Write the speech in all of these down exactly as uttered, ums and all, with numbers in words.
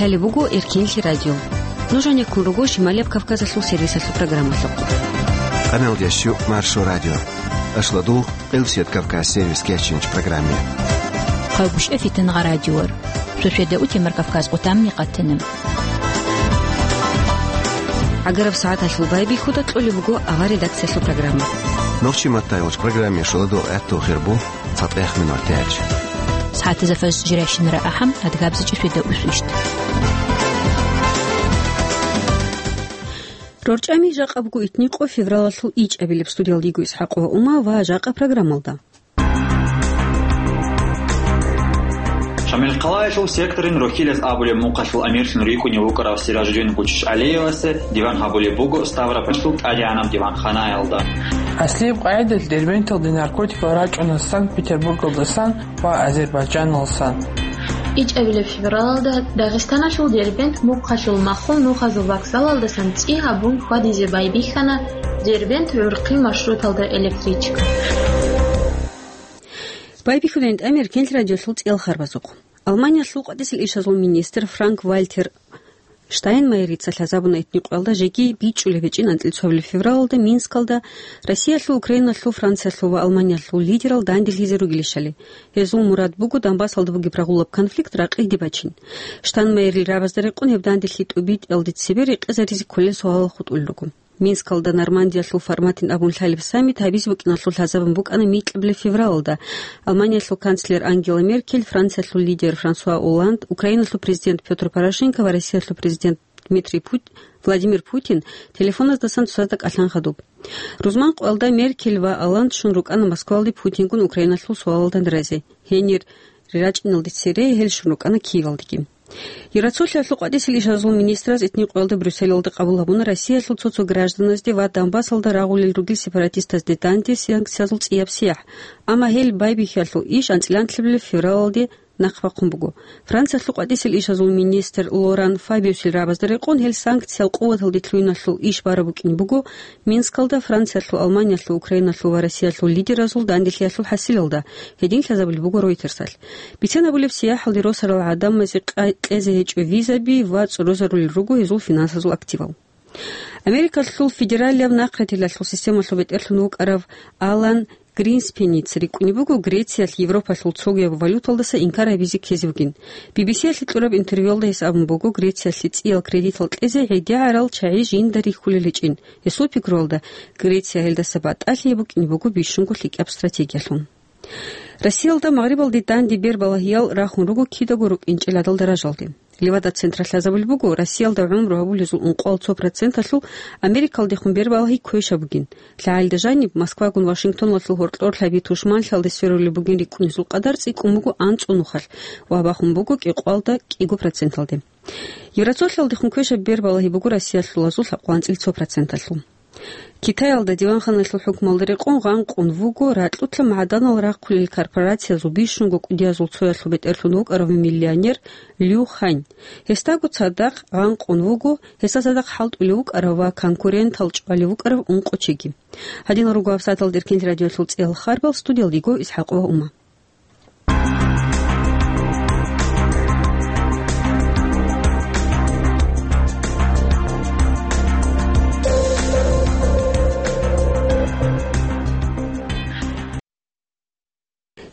Гьале буго Эркенлъи радио. Нуж гьанеккун руго Шималияб Кавказалъул сервисалъул программалъухъ. Къаналдящу Маршо радио. Ашладул Къилсият Кавказ сервис кечинч программе. Хъавгушев Фитангъа радиор. Суседа утемар Кавказ къутамни къатанам. ГӀагараб сагӀаталъул байбихьуда кьолеб буго авар редакциялъул программа. Нохчи маттайолч программе шуладул гӀатту хирбу цатӀех минор тяч. СагӀатазафаз жиращинара ахӀам адгабзичӀи суседа усвищт. РорчӀами жакъа буго итникъо февралалъул ичӀабилеб. Студиялда йиго ИсхӀакъова Ума ва жакъа программалда. Шамилхъалаялъул секторин Рохилаз абулеб мухъалъул амирлъун рикӀкӀунев вукӀарав Сиражудин Гучич ГӀалиевасе диван гьабулеб буго Ставропольлъул тӀадегӀанаб диванханаялда. Аслияб къагӀидалъ Дербенталде наркотикал рачӀуна Санкт-Петербургалдасан ва Азербайджаналсан. ИчӀабилеб февралалда Дагъистаналъул Дербент мухъалъул махул нухазул вокзалалдасан цӀи гьабун хьвадизе байбихьана Дербент-ГӀурхъи маршруталда электричка. Байбихьудайин тӀамир Кенлъ радиолъул цӀиял харбазухъ. Алманиялъул къватӀисел ишазул министр Франк Вальтер Штайнмайерица лъазабуна итникъоялда жеги бичӀчӀулеб гьечӀин анцӀила февралалда Минскалда Россиялъул, Украиналъул, Франциялъул ва Алманиялъул лидерал данделъизе ругелищали. Гьезул мурад буго Донбассалда бугеб рагъулаб конфликт ракъиде бачин. Штайнмайерил рабазда рекъон гьеб данделъи тӀубитӀиялде цебе рекъезаризе кколел суалал хутӀулел руго. Минскалда Нормандиялъул форматин абун лъалеб саммит гьабизе букӀиналъул лъазабун букӀана микьабилеб февралалда. Алманиялъул канцлер Ангела Меркель, Франциялъул лидер Франсуа Олланд, Украиналъул президент Пётр Порошенко ва Россиялъул президент Дмитрий Пут-, Владимир Путин телефоназдасан цоцазда кӀалъан хадуб. Рузман къоялда Меркель ва Олланд щун рукӀана Москвалде Путингун Украиналъул суалалда разе. Гьенир рачӀиналде цере гьел щун рукӀана Киевалдеги. Евросоюзалъул къватӀисел ишазул министраз итни къоялда Брюсселалда къабул гьабуна Россиялъул цо-цо гражданазде ва Донбассалда рагъулел ругел сепаратистазде данде санкциязул цӀияб сияхӀ, амма гьел байбихьиялъул иш анцӀила анлъабилеб февралалде нахъ бахъун буго. Франциялъул къватӀисел ишазул министр Лоран Фабиусил рабазда рекъон гьел санкциял къуваталде лъугьиналъул иш бараб букӀин буго Минскалда Франциялъул, Алманиялъул, Украиналъул ва Россиялъул лидеразул данделъиялъул хӀасилалда, гьедин лъазабулеб буго Ройтерсалъ. Бицен абулеб, сияхӀалде росарал гӀадамазе къа-, кьезе гьечӀо визаби ва цӀорозарулел руго гьезул финансазул активал. Америкалъул федералияб нахъратилалъул системалъул бетӀерлъун вукӀарав Алан Гринспеница рикӀкӀунеб буго Грециялъ Европалъул цогияб валюталдаса инкар гьабизе ккезе бугин. Би-би-сиялъе кьураб интервьюялда гьес абун буго Грециялъе цӀиял кредитал кьезе гӀедегӀарал чагӀи жинда рихьулел гьечӀин. Гьесул пикруялда, Греция гьелдаса батӀалъи букӀине буго бищунго лъикӀаб стратегиялъун. Россиялда Магърибалде данде бербалагьиял рахун руго кидаго рукӀинчӀел гӀадал даражалде. Левада центр лъазабулеб буго, Россиялда гӀумру гьабулезул ункъоялда цо проценталъул Америкалдехун бербалагьи квешаб бугин. ЛъагӀалида жаниб, Москвагун Вашингтоналъул гьоркьор лъаби тушманлъиялде сверулеб бугин рикӀкӀунезул къадар цӀикӀкӀун буго анцӀго нухалъ ва бахун буго кӀикъоялда кӀиго проценталде. Еврозоналалдехун квешаб бербалагьи буго россиялъулазул лъабкъоялда анцӀила цо проценталъул. Китаялда диванханалъул хӀукмалда рекъон гъанкъун вуго ракьулъа магӀданал рахъулел корпорациязул бищунго кӀудиязул цоялъул бетӀерлъун вукӀарав миллионер Лю Хань. Гьесдаго цадахъ гъанкъун вуго, гьесда цадахъ хӀалтӀулев вукӀарав ва конкурентал чӀвалев вукӀарав ункъо чиги. Гьадинал руго гьабсагӀаталда Эркенлъи радиоялъул цӀиял харбал, студиялда йиго ИсхӀакъова Ума.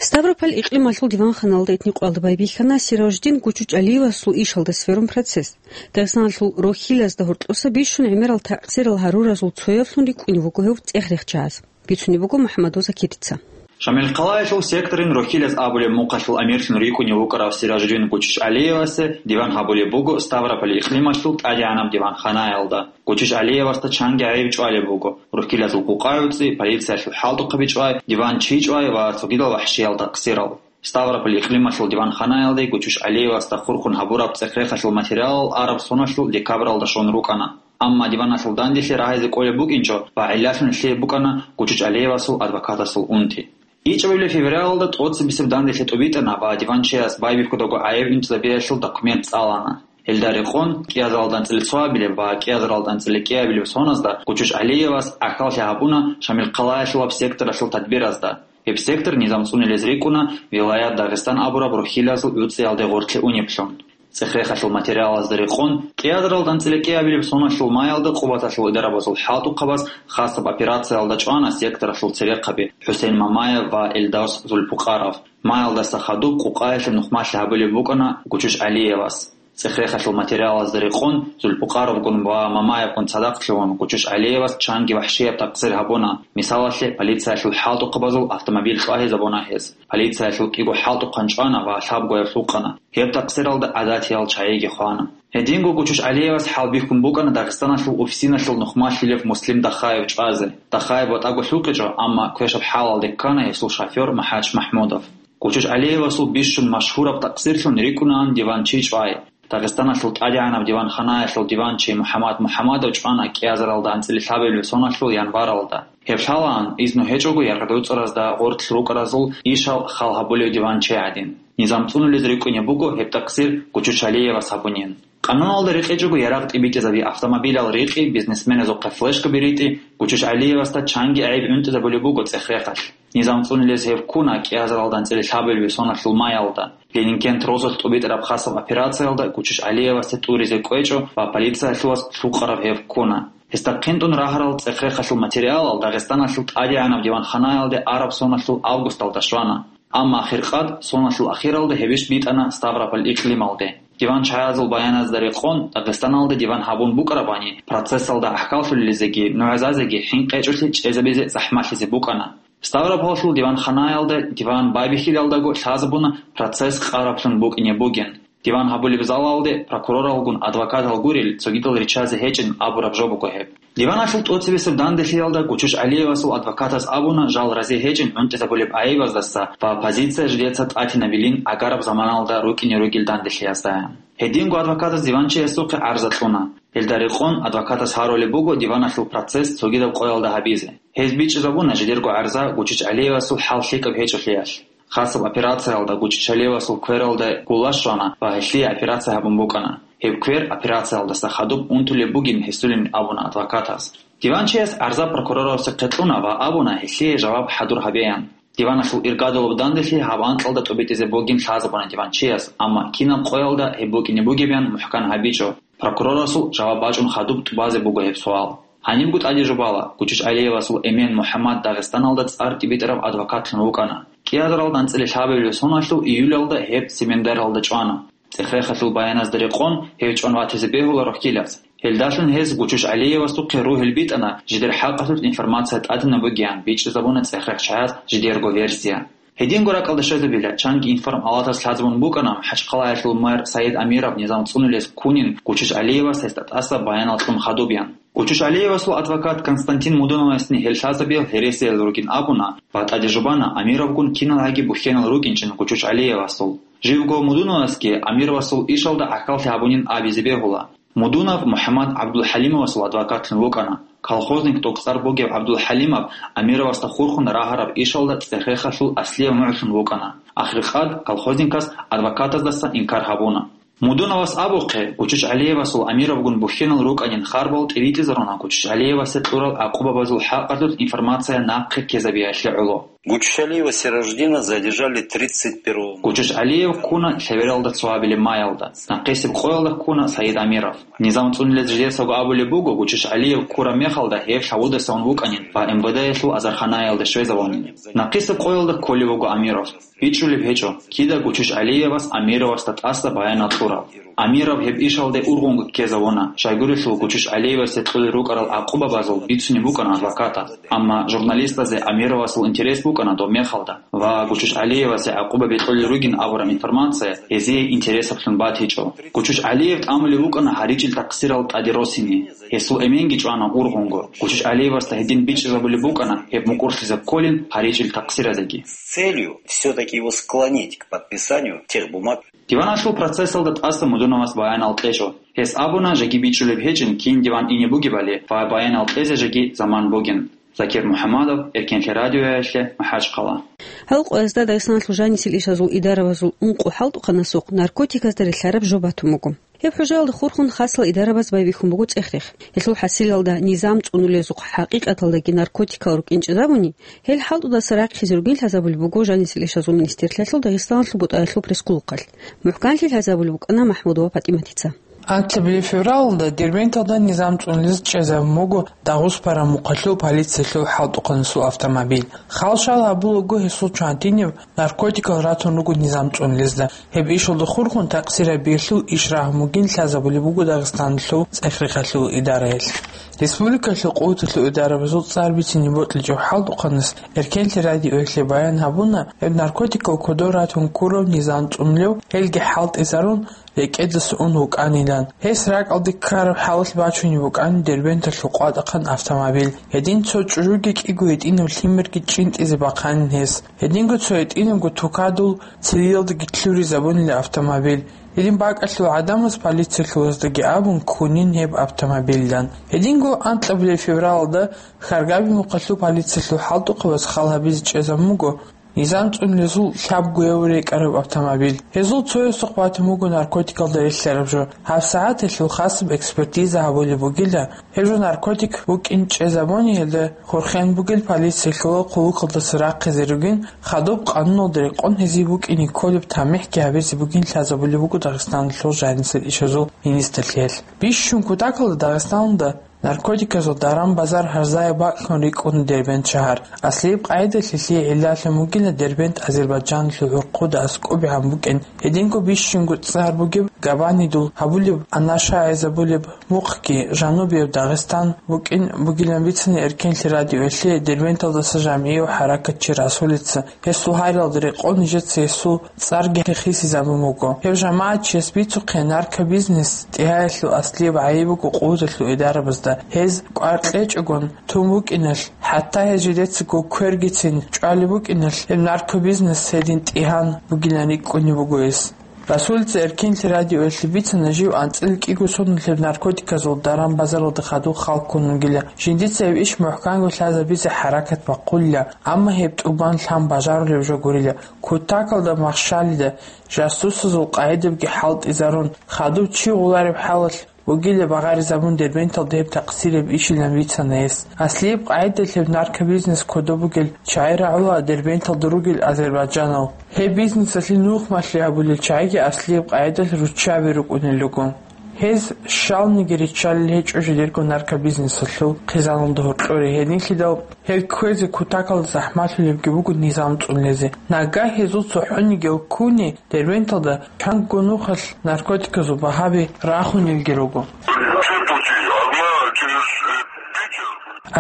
Ставрополь икълималъул диванханалда итни къвалда байбихьана Сираждин Гучучалиевасул ишалда сверун процесс. Дагъистаналъул рохьилазда гьоркьоса бищун гӀемерал такъсирал гьаруразул цоявлъун рикӀкӀунев вуго гьев цӀех-рехчагӀаз. Бицунеб буго МухӀаммадов Закирица. Шамилхъалаялъул секторин рохьилаз абулеб мухъалъул амирлъун рикӀкӀунев вукӀарав Сиражудин Гучич ГӀалиевасе диван гьабулеб буго Ставрополь икълималъул тӀадегӀанаб диванханаялда. Гучич ГӀалиевасда чанги гӀайиб чӀвалеб буго: рохьилазул къукъа-гӀуцӀи, полициялъул хӀалтӀухъаби чӀвай, диван чи чӀвай ва цогидал вахӀшиял такъсирал. Ставрополь икълималъул диванханаялде Гучуч ГӀалиевасда хурхун гьабураб цӀех-рехалъул материалал араб соналъул декабралда щун рукӀана. Амма диваналъул данделъи рагьизе кӀолеб букӀинчӀо ва гӀиллалъун лъияб букӀана Гучуч ГӀалиевасул адвокатасул унти. ИчӀабилеб февралалда тӀоцебесеб данделъи тӀубитӀана ва диванчияс байбихьудаго гӀайиб инчӀзабиялъул документ цӀалана. Гьелда рекъон, кӀиазаралда анцӀила цоабилеб ва кӀиазаралда анцӀила кӀиабилеб соназдаса Гучуч ГӀалиевас гӀахьаллъи гьабуна Шамилхъалаялъулаб секторалъул тадбиразда. Гьеб сектор низам цӀунулез рикӀкӀуна Вилаят Дагъистан абураб рохьилазул гӀуцӀиялде гъорлъе унеблъун. ЦӀех-рехалъул материалазда рекъон, кӀиазаралда анцӀила кӀиабилеб соналъул маялда Къубаталъул идарабазул хӀалтӀухъабаз хасаб операциялда чӀвана секторалъул церехъаби ХӀусейн Мамаев ва Эльдос Зульпукъаров. Маялдаса хадуб Къукъаялъе нухмалъи гьабулеб букӀана Гучуч ГӀалиевас. ЦӀех-рехалъул материалазда рекъон, Зульпукъаровгун ва Мамаевгун цадахъ лъугьун, Гучуч ГӀалиевас чанги вахӀшияб такъсир гьабуна. Мисалалъе, полициялъул хӀалтӀухъабазул автомобиль кьвагьизабуна гьез. Полициялъул кӀиго хӀалтӀухъан чӀвана ва лъабгояб лъукъана. Гьеб такъсиралда гӀадатиял чагӀиги хвана. Гьединго Гучуч ГӀалиевас хӀалбихьун букӀана Дагъистаналъул УФСИНалъул нухмалъилев Муслим Дахаев чӀвазе. Дахаев ватӀаго лъукъичӀо, амма квешаб хӀалалде ккана гьесул шофер МахӀач МахӀмудов. Гучуч ГӀалиевасул бищун машгьураб такъсирлъун рикӀкӀунаан диванчи чӀвай. Дагъистаналъул тӀадегӀанаб диванханаялъул диванчи МухӀаммад МухӀаммадов чӀвана кӀиазаралда анцӀила лъабабилеб соналъул январалда. Гьеб лъалаан, изну гьечӀого яргъ-гӀуцӀаразда гъорлъ рукӀаразул ишал хал гьабулев диванчи гӀадин. Низам цӀунулез рикӀкӀунеб буго гьеб такъсир Гучуч ГӀалиевас гьабунин. Къануналда рекъечӀого ярагъ тӀибитӀизаби, автомобилял рикъи, бизнесменазухъе флешкаби ритӀи, Гучуч ГӀалиевасда чанги гӀайиб гӀунтӀизабулеб буго цӀех-рехалъ. Низам цӀунулез гьев ккуна кӀиазаралда анцӀила лъабабилеб соналъул маялда. Ленингент розалъ тӀубитӀараб хасаб операциялда Гучуч ГӀалиевасде тӀуризе кӀвечӀо ва полициялъуваз лъукъараб гьев ккуна. Гьесда хъинтӀун рагьарал цӀех-рехалъул материалал Дагъистаналъул тӀадегӀанаб диванханаялде араб соналъул августалда щвана. Амма ахиркъад, соналъул ахиралда гьебищ битӀана Ставрополь икълималде. Диван чагӀазул баяназда рекъон, Дагъистаналда диван гьабун букӀарабани, процессалда гӀахьаллъулелизеги нугӀзазеги хӀинкъи гьечӀолъи чӀезабизе захӀмалъизе букӀана. Ставропольлъул диванханаялда диван байбихьилалдаго лъазабуна процесс къараблъун букӀине бугин. Диван гьабулеб залалде прокуроралгун адвокатал гурел цогидал риччазе гьечӀин абураб жо буго гьеб. Диваналъул тӀоцебесеб данделъиялда Гучуч ГӀалиевасул адвокатас абуна жал рази гьечӀин гӀунтӀизабулеб гӀайибаздаса ва позиция жидеца тӀатинабилин агараб заманалда рукӀине ругел данделъиязда. Гьединго адвокатас диванчиясухъе гӀарза кьуна. Гьелда рекъон адвокатас гьарулеб буго диваналъул процесс цогидаб къоялда гьабизе. Гьез бичӀчӀизабуна жидерго гӀарза Гучуч ГӀалиевасул хӀал лъикӀаб гьечӀолъиялъ. Хасаб операциялда Гучуч ГӀалиевасул квералда гулла щвана ва гьелъие операция гьабун букӀана. Гьеб квер операциялдаса хадуб унтулеб бугин гьесулин абуна адвокатас. Диванчияс гӀарза прокурорасухъе кьуна ва абуна гьелъие жаваб хӀадур гьабеян. Диваналъул иргадулаб данделъи гьаб анкьалда тӀубитӀизе бугин лъазабуна диванчияс, амма кинаб къоялда гьеб букӀине бугебян мухӀкан гьабичӀо. Прокурорасул жаваб бачӀун хадуб тӀубазе буго гьеб суал. Гьанибго тӀаде жубала, Гучуч ГӀалиевасул эмен МухӀаммад Дагъистаналда цӀар тӀибитӀараб адвокатлъун вукӀана. КӀиазаралда анцӀила лъабабилеб соналъул июлялда гьеб Семендаралда чӀвана. ЦӀех-рехалъул баяназда рекъон, гьев чӀван ватизе бегьула рохьилаз. Гьелдалъун гьез Гучуч ГӀалиевасухъе ругьел битӀана, жидер хӀакъалъулъ информация тӀадинаб бугеян, бичӀчӀизабуна цӀех-рехчаяс жидерго версия. Гьединго ракӀалде щвезабила, чанги информ-палатас лъазабун букӀана МахӀачхъалаялъул мэр Саид Амиров низам цӀунулес ккунин Гучуч ГӀалиевас гьесда тӀаса баянал кьун хадуб ян. Гучуч ГӀалиевасул адвокат Константин Мудуновасни гьел лъазабиял гьересиял ругин абуна ва тӀаде жубана Амировгун киналгӀаги бухьенал рукӀинчӀин Гучуч ГӀалиевасул. Живго Мудуновасги Амировасул ишалда гӀахьаллъи гьабунин абизе бегьула. Мудунов МухӀаммад ГӀабдулхӀалимовасул адвокатлъун вукӀана. Колхозник тӀокӀцӀар бугев ГӀабдулхӀалимов Амировасда хурхун рагьараб ишалда цӀех-рехалъул аслияв нугӀлъун вукӀана. Ахиркъад колхозникас адвокатаздаса инкар гьабуна. Мудуновас абухъе, Гучуч ГӀалиевасул Амировгун бухьенал рукӀанин харбал тӀибитӀизаруна Гучуч ГӀалиевасде кьурал гӀакъубабазул хӀакъалъулъ информация нахъе ккезабиялъе гӀоло. Гуччалиева Сираждина задержали тридцать первого. Гучуч ГӀалиев ккуна лъебералда цоабилеб маялда. Нахъисеб къоялда ккуна Саид Амиров. Низам цӀунулез жидецаго абулеб буго, Гучуч ГӀалиев ккураб мехалда гьев лъавудасан вукӀанин ва МВД-ялъул азарханаялде щвезавунин. Нахъисеб къоялда кколев вуго Амиров. БичӀчӀулеб гьечӀо, кида Гучуч ГӀалиевас Амировасда тӀаса баянал кьурал. Амиров гьеб ишалде ургъунго ккезавуна, щайгурелъул Гучуч ГӀалиевасде кьолел рукӀарал гӀакъубабазул бицунеб букӀана адвокатас. Амма журналистазе Амировасул интерес букӀана доб мехалда ва Гучуч ГӀалиевасе гӀакъуба бекьулел ругин абураб информация гьезие интересаблъун батичӀо. Гучуч ГӀалиев тӀамулев вукӀана гьаричӀил такъсирал тӀаде росине. Гьесул эменги чӀвана ургъунго. Гучуч ГӀалиевасда гьедин бичӀчӀизабулеб букӀана гьеб мукӀурлъизе кколин гьаричӀил такъсиразеги. С целью всё-таки его склонить к подписанию тех бумаг. Диваналъул процессалда тӀаса Мудуновас баянал кьечӀо. Гьес абуна, жеги бичӀчӀулеб гьечӀин кин диван ине бугебали ва баянал кьезе жеги заман бугин. Закир МухӀаммадов, Эркенлъи радиоялъе, МахӀачхъала. Гьал къоязда Дагъистаналъул жанисел ишазул идарабазул ункъо хӀалтӀухъанасухъ наркотиказда релълъараб жо батун буго. Гьеб хӀужаялда хурхун хасал идарабаз байбихьун буго цӀех-рех. Гьелъул хӀасилалда низам цӀунулезухъ хӀакъикъаталдаги наркотикал рукӀин чӀезабуни, гьел хӀалтӀудаса рахъизе ругин лъазабулеб буго Жанисел ишазул министрлъиялъул Дагъистаналъул бутӀаялъул пресс-къулухъалъ. МухӀканлъи лъазабулеб букӀана МахӀмудова ПатӀиматица. Анлъабилеб февралда Дербенталда низам цӀунулез чӀезабун буго Дагъустан мухъалъул полициялъул хӀалтӀухъанасул автомобиль. Хал-шал гьабулаго гьесул чандиниб наркотикал ратун руго низам цӀунулезда. Гьеб ишалда хурхун такъсир гьабиялъул иш рагьун бугин лъазабулеб буго Дагъистаналъул цӀех-рехалъул идараялъ. Республикалъул къуваталъул идарабазул цӀар бицине бокьичӀеб хӀалтӀухъанас Эркенлъи радиоялъе баян гьабуна, гьеб наркотикал кодоб ратун ккураб низам цӀунулев, гьелги хӀалтӀизарун, рекӀедаса ун вукӀанилан. Гьес ракӀалде ккараб хӀалалъ бачунеб букӀана Дербенталъул къватӀахъан автомобиль. Гьедин цо чӀужуги кӀиго гьитӀинаб лъимерги чӀинтӀизе бахъанин гьес. Гьединго цо гьитӀинабго тукадул цилиялдаги лъуризабунила автомобиль. Гьедин бакӀалъул гӀадамаз полициялъулаздаги абун ккунин гьеб автомобильдан. Гьединго анкьабилеб февралалда Хьаргабимухъалъул полициялъул хӀалтӀухъабаз хал гьабизе чӀезабун буго низам цӀунулезул лъабгояв рекӀараб автомобиль. Гьезул цоясухъ батун буго наркотикалда релълъараб жо. ГьабсагӀат гьелъул хасаб экспертиза гьабулеб бугила, гьеб жо наркотик букӀин чӀезабуни, гьелда хурхен бугел полициялъул хъулухъалдаса рахъизе ругин, хадуб къануналда рекъон гьезие букӀине кколеб тамихӀги гьабизе бугин лъазабулеб буго Дагъистаналъул Жанисел ишазул министрлъиялъ. Бищун кутакалда Дагъистаналда наркотиказул даран-базар гьарзаяб бакӀлъун рикӀкӀуна Дербент шагьар. Аслияб къагӀидалъ гьелъие гӀиллалъун бугила Дербент Азербайджаналъул гӀурхъуда аскӀобегӀан букӀин, гьединго бищунго цӀар бугеб Габанидул гьабулеб, анаша гӀезабулеб мухъги жанубияб Дагъистан букӀин бугилан бицана Эркенлъи радиоялъе Дербенталдаса жамгӀияв хӀаракатчи Расулица. Гьесул гьарилалда рекъон нижеца гьесул цӀарги хисизабун буго. Гьев жамагӀатчияс бицухъе наркобизнес тӀигьаялъул аслияб гӀайиб буго къуваталъул идарабазда. Гьез кӀвар кьечӀогун тун букӀиналъ, хӀатта гьез жидецаго квергицин чӀвалеб букӀиналъ, гьеб наркобизнес гьедин тӀигьан бугилан рикӀкӀунеб буго гьес. Расулица Эркенлъи радиоялъе бицана жив анцӀила кӀиго соналъ гьеб наркотиказул даран-базаралда хадуб хал ккун вугила. Жиндица гьеб иш мухӀканго лъазабизе хӀаракат бахъулила, амма гьеб тӀубан лъан бажарулеб жо гурила. Кутакалда махщалида, жасусазул къагӀидабги хӀалтӀизарун, хадуб чи гъулареб хӀалалъ бугила багъаризабун Дербенталда гьеб такъсираб ишилан бицана гьес. Аслияб къагӀидалъ гьеб наркобизнес кодоб бугел чагӀи рагӀула Дербенталда ругел азербайджанал. Гьеб бизнесалъе нухмалъи гьабулел чагӀиги аслияб къагӀидалъ руччаби рукӀунел руго. Гьез щалниги риччалел гьечӀо жидерго наркобизнесалъул хъизаналда гьоркьоре, гьединлъидал гьел кквезе кутакалда захӀмалъулебги буго низам цӀунулезе. Нагагь гьезул цохӀонигиял ккуни Дербенталда чанго нухалъ наркотиказул багьаби рахунелги руго. Все пути, одна через, э, Питер.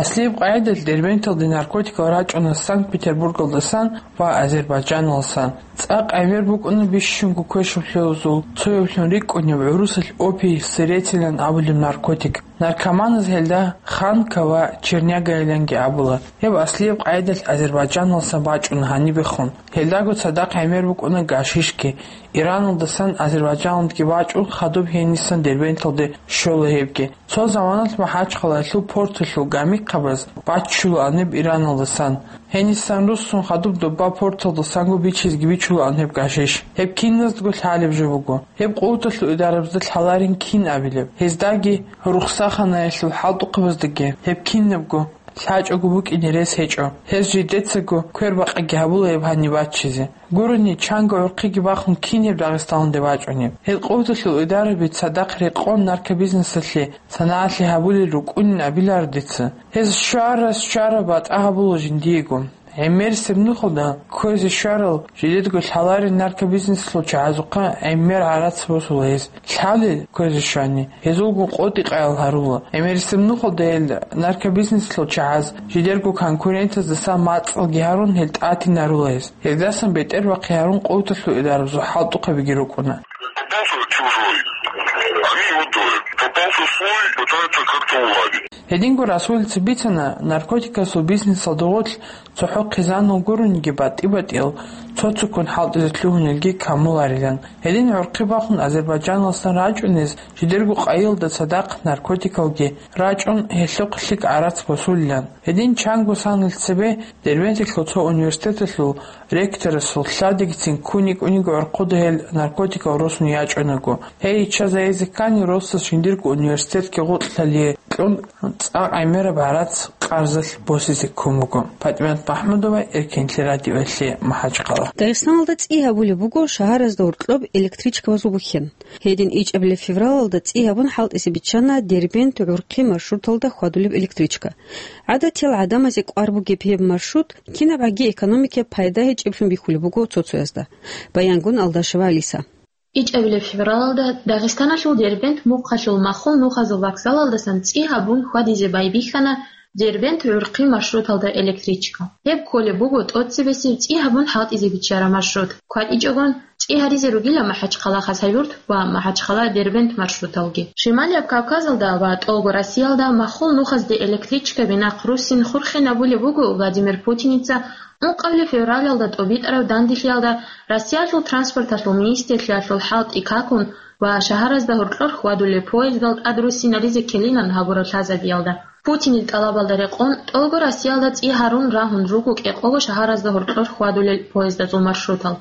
Аслияб къагӀидалъ Дербенталде наркотикал рачӀуна Санкт-Петербургалдасан ва Азербайджаналсан. ЦӀакъ гӀемер букӀуна бищунго квешаб лъозул цояблъун рикӀкӀунеб гӀурусалъ опий, сыретилан абулеб наркотик. Наркоманаз гьелда ханка ва чернягайиланги абула. Гьеб аслияб къагӀидалъ Азербайджаналсан бачӀуна гьанибехун. Гьелдаго цадахъ гӀемер букӀуна гашишги. Ираналдасан Азербайджаналдги бачӀун хадуб гьенисан Дербенталде щола гьебги. Цо заманалъ МахӀачхъалаялъул порталъул гамихъабаз баччулаан гьеб Ираналдасан. Гьенисан руссун хадуб доба порталдасанго бичизги бичулаан гьеб гашиш. Гьеб киназдаго лъалеб жо буго. Гьеб къуваталъул идарабазда лъаларин кин абилеб. Гьездаги, рухсаханаялъул хӀалтӀухъабаздаги гьеб кинабго лъачӀого букӀине рес гьечӀо. Гьез жидецаго квербакъиги гьабула гьеб гьаниб баччизе. Гурони, чанго гӀурхъиги бахун кин гьеб Дагъистаналде бачӀунеб. Гьел къуваталъул идараби цадахъ рекъон наркобизнесалъе санагӀалъи гьабулел рукӀунин абиларо дица. Гьез щвара-щвара батӀа гьабула жиндиего. ГӀемерисеб нухалда кквезе щварал жидедго лъаларин наркобизнеслъул чагӀазухъа гӀемер гӀарац босула гьез. Лъалел кквезе щвани, гьезулгун къотӀи-къаял гьарула. ГӀемерисеб нухалда гьел наркобизнеслъул чагӀаз жидерго конкурентаздасан мацӀалги гьарун, гьел тӀатинарула гьез. Гьелдасан бетӀербахъи гьарун къуваталъул идарабазул хӀалтӀухъабиги рукӀуна. Попался чужой. Они его дуют. Попался свой, пытаются как-то уладить. Гьединго Расулица бицана, наркотикасул бизнесалда гъорлъ цохӀо хъизанал гурониги батӀи-батӀиял цо-цоккун хӀалтӀизе лъугьунелги камуларилан. Гьедин гӀурхъи бахун Азербайджаналдасан рачӀунез жидерго къайилда цадахъ наркотикалги рачӀун, гьелъухъ лъикӀ гӀарац босулилан. Гьедин чанго санал цебе Дербенталъул цо университеталъул ректорасул лъадигицин ккун йикӀуниго гӀурхъуда гьел наркотикал росун ячӀунаго. Гьей иччазаризе ккани, росас жиндирго университетги гъоркьлъалие кьун, цӀакъ гӀемераб гӀарац къарзалъ босизе ккун буго. ПатӀимат Махмудова, Эркенлъи радиоялъе, МахӀачхъала. Дагъистаналда цӀи гьабулеб буго шагьаразда гьоркьоб электричкабазул бухьен. Гьедин ичӀабилеб февралалда цӀи гьабун хӀалтӀизе биччана Дербент-ГӀурхъи маршруталда хьвадулеб электричка. ГӀадатиял гӀадамазе кӀвар бугеб гьеб маршрут кинабгӀаги экономикаялъ пайда гьечӀеблъун бихьулеб буго цо-цоязда. Баянгун Алдашева Алиса. ИчӀабилеб февралалда Дагъистаналъул Дербент мухъалъул махул нухазул вокзалалдасан цӀи гьабун хьвадизе байбихьана Дербент-ГӀурхъи маршруталда электричка. Гьеб кколеб буго тӀоцебесеб цӀи гьабун хӀалтӀизе биччараб маршрут. КватӀичӀогон цӀи гьаризе ругила МахӀачхъала Хасавюрт ва МахӀачхъала Дербент маршруталги. Шималияб Кавказалда ва тӀолго Россиялда махул нухазде электричкаби нахъ руссин хурхинабулеб буго Владимир Путиница ункъабилеб февралалда тӀобитӀараб данделъиялда Россиялъул транспорталъул министрлъиялъул хӀалтӀи какун ва шагьаразда гьоркьор хьвадулел поездал тӀад руссинаризе ккелинан гьабураб лъазабиялда. Путинил тӀалабалда рекъон, тӀолго Россиялда цӀи гьарун рагьун руго кӀикъого шагьаразда гьоркьор хьвадулел поездазул маршрутал.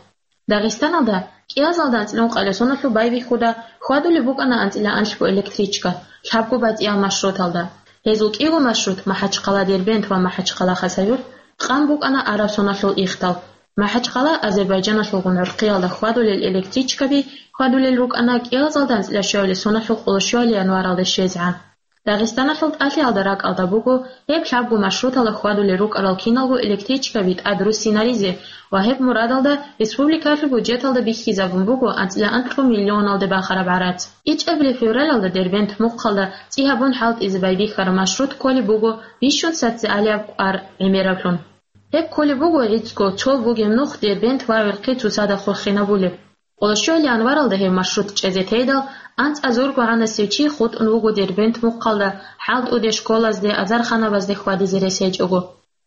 Дагъистаналда кӀиазалда анцӀила ункъабилеб соналъул байбихьуда хьвадулеб букӀана анцӀила анлъго электричка лъабго батӀиял маршруталда. Гьезул кӀиго маршрут, МахӀачхъала-Дербент ва МахӀачхъала-Хасавюрт, къан букӀана араб соналъул ихтал. МахӀачхъала Азербайджаналъулгун гӀурхъиялда хьвадулел электричкаби хьвадулел рукӀана кӀиазалда анцӀила щуабилеб соналъул къоло щуабилеб январалда щвезегӀан. Дагъистаналъул тӀалъиялда ракӀалда буго гьеб лъабго маршруталда хьвадулел рукӀарал киналго электричкаби тӀад руссинаризе ва гьеб мурадалда республикалъул бюджеталда бихьизабун буго анцӀила анлъго миллионалде бахараб гӀарац. ИчӀабилеб февралалда Дербент мухъалда цӀи гьабун хӀалтӀизе байбихьараб маршрут кколеб буго бищун социалияб кӀвар гӀемераблъун. Гьеб кколеб буго гӀицӀго цо бугеб нух Дербент ва ГӀурхъи цоцазда хурхинабулеб. Къоло щуабилеб январалда гьеб маршрут чӀезе тейдал, анцӀазурго гӀанасев чи хутӀун вуго Дербент мухъалда, хӀалтӀуде, школазде, азарханабазде хьвадизе рес гьечӀого.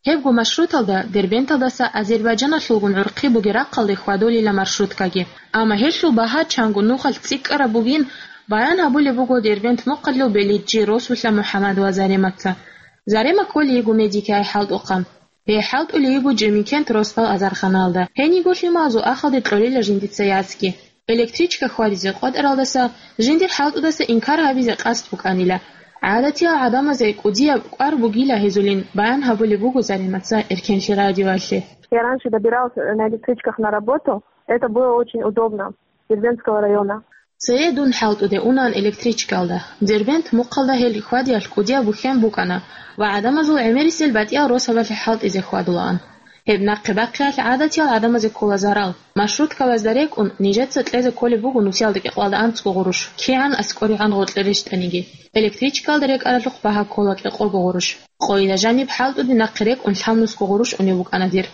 Гьебго маршруталда Дербенталдаса Азербайджаналъулгун гӀурхъи бугеб рахъалде хьвадулила маршруткаги. Амма гьелъул багьа чанго нухалъ цӀикӀкӀараб бугин баян гьабулеб буго Дербент мухъалъул белиджи Росулъа МухӀаммад ва Зарематца. Зарема кколей йиго Медикай хӀалтӀухъан. Гьей хӀалтӀулей йиго Жемикент росдал азарханалда. Гьениго лъималазул ахалде кьолила жиндица яцги. Электричка хьвадизе къотӀаралдаса, жиндир хӀалтӀудаса инкар гьабизе къасд букӀанила. ГӀадатиял гӀадамазе кӀудияб кӀвар бугила гьезулин, баян гьабулеб буго Зарематца Эркенлъи радиоялъе. Я раньше добиралась на электричках на работу. Это было очень удобно. Дербентского района. Цее дун хӀалтӀуде унаан электричкалда. Дербент мухъалда гьел хьвадиялъ кӀудияб бухьен букӀана ва гӀадамазул гӀемерисел батӀиял росабалъе хӀалтӀизе хьвадулаан. Гьеб нахъе бахъиялъ гӀадатиял гӀадамазе ккола зарал. Маршруткабазда рекӀун, нижеца кьезе кколеб буго нусиялда кӀикъоялда анцӀго гъурущ, кигӀан аскӀоригӀан гъоркье рещтӀаниги. Электричкалда рекӀаралъухъ багьа ккола кӀикъого гъурущ. Къойила жаниб хӀалтӀуде нахъе рекӀун лъабнусго гъурущ унеб букӀана дир.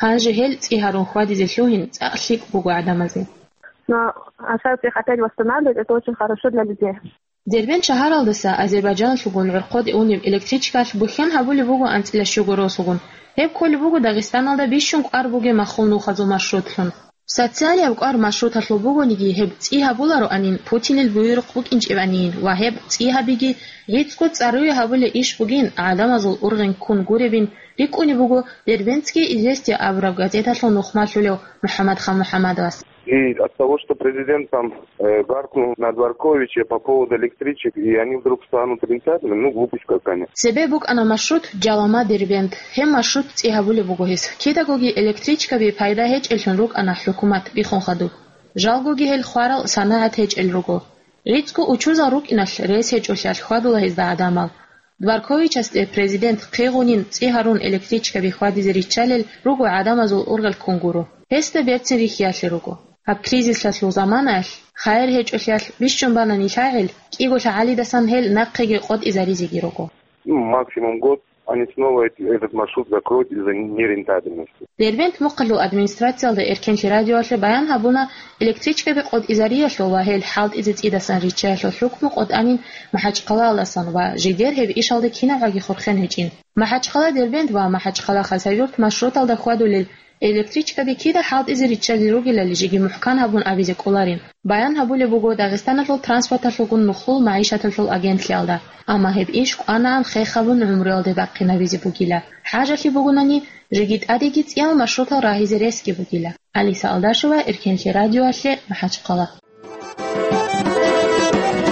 Гьанже гьел цӀи гьарун хьвадизе лъугьин цӀакъ лъикӀ буго гӀадамазде. Но осталось их опять восстанавливать, это очень хорошо для людей. Дербент шагьаралдаса Азербайджаналъулгун гӀурхъуде унеб электричкалъ бухьен гьабулеб буго анцӀила щуго росулгун. Гьеб кколеб буго Дагъистаналда бищун кӀвар бугеб махул нухазул маршрутлъун. Социалияб кӀвар маршруталъул бугониги, гьеб цӀи гьабулароанин, Путинил буюрухъ букӀинчӀебанин ва гьеб цӀи гьабиги, гӀицӀго цӀаруе гьабулеб иш бугин, гӀадамазул ургъен ккун гуребин рикӀкӀунеб буго Дербентские известия абураб газеталъул нухмалъулев МухӀаммадхан МухӀаммадовас. И от того, что президент там, э, гаркнул на Дворковича по поводу электричек, и они вдруг станут отрицательными, ну, глупость какая-то. Цебе букӀана маршрут Жалама-Дербент. Гьеб маршрут цӀи гьабулеб буго гьес. Кидагоги электричкаби пайда гьечӀеллъун рукӀана хӀукумат биххун хадуб. Жалгоги гьел хварал санагӀат гьечӀел руго. ГӀицӀго учузал рукӀиналъ рес гьечӀолъиялъ хьвадула гьезда гӀадамал. Дворковичасде президент хъигъунин цӀи гьарун электричкаби хьвадизе риччалел руго гӀадамазул ургъел ккун гуро. Гьесда берцин рихьиялъе руго. Гьаб кризисалъул заманаялъ, хайир гьечӀолъиялъ бищун бана нилъагӀел, кӀиголъа гӀалидасан гьел нахъеги къотӀизаризеги руго. Ну, максимум год. Они снова эти, этот маршрут закроют из-за нерентабельности. Дербент мухъалъул администрациялда Эркенлъи радиоялъе баян гьабуна электричкаби къотӀизариялъул ва гьел хӀалтӀизе цӀидасан риччаялъул хӀукму къотӀанин МахӀачхъалаялдасан ва жидер гьеб ишалда кинабгӀаги хурхен гьечӀин. МахӀачхъала-Дербент ва МахӀачхъала-Хасавюрт маршруталда хьвадулел электричкаби кида хӀалтӀизе риччалел ругелали жеги мухӀкан гьабун абизе кӀоларин. Баян гьабулеб буго Дагъистаналъул транспорталъулгун нухлул магӀишаталъул агентлъиялда, амма гьеб иш кӀванаан хехабун гӀумруялде бахъинабизе бугила. ХӀажалъи бугунани, жеги тӀадеги цӀиял маршрутал рагьизе ресги бугила. Алиса Алдашева, Эркенлъи радиоялъе, МахӀачхъала.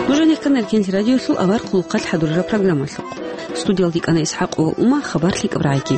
Нуж гьанихъан Эркенлъи радиоялъул авар хъулухъалъ хӀадурараб программалъухъ. Студиялде кӀана ИсхӀакъ ва Ума, хабар лъикӀаб рагӀиги.